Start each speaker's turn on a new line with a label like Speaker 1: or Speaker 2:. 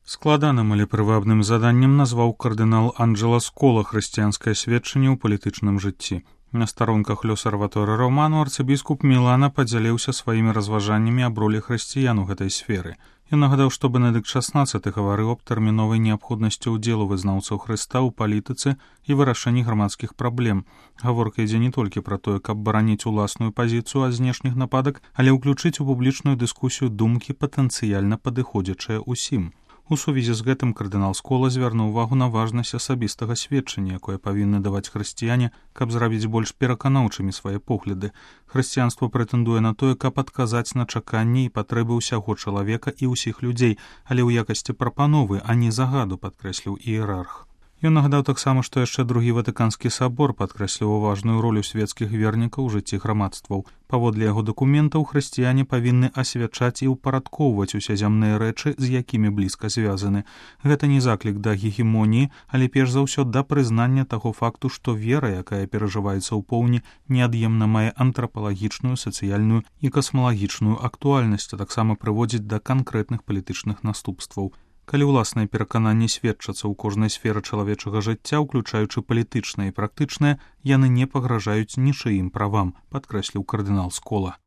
Speaker 1: Складаным, але прывабным заданнем назваў кардынал Анджела Скола хрысціянскае сведчанне ў палітычным жыцці. На старонках «L'Osservatore Romano» арцыбіскуп Мілана падзяліўся сваімі разважаннямі аб ролі хрысціян у гэтай сферы. Ён нагадаў, што Бенедыкт XVI гаварыў аб тэрміновай неабходнасці ўдзелу вызнаўцаў Хрыста ў палітыцы і вырашэнні грамадскіх праблем. Гаворка ідзе не толькі пра тое, каб бараніць уласную пазіцыю ад знешніх нападак, але ўключыць у публічную дыскусію думкі патэнцыяльна падыходзячыя ўсім. У сувязі з гэтым кардынал Скола звярнуў увагу на важнасць асабістага сведчання, якое павінны даваць хрысціяне, каб зрабіць больш пераканаўчымі свае погляды. Хрысціянства прэтэндуе на тое, каб адказаць на чаканні і патрэбы ўсяго чалавека і ўсіх людзей, але ў якасці прапановы, а не загаду, падкрэсліў іерарх. Ён нагадаў таксама, што яшчэ другі Ватыканскі сабор падкрэсліў важную ролю свецкіх вернікаў у жыцці грамадстваў. Паводле яго дакументаў хрысціяне павінны асвячаць і ўпарадкоўваць усе зямныя рэчы, з якімі блізка звязаны. Гэта не заклік да гегемоніі, але перш за ўсё да прызнання таго факту, што вера, якая перажываецца ў поўні, неад'емна мае антрапалагічную, сацыяльную і касмалагічную актуальнасць, а таксама прыводзіць да канкрэтных палітычных наступстваў. Калі ўласныя перакананні сведчацца ў кожнай сферы чалавечага жыцця, уключаючы палітычнае і практычнае, яны не пагражаюць нічыім правам, падкрэсліў кардынал Скола.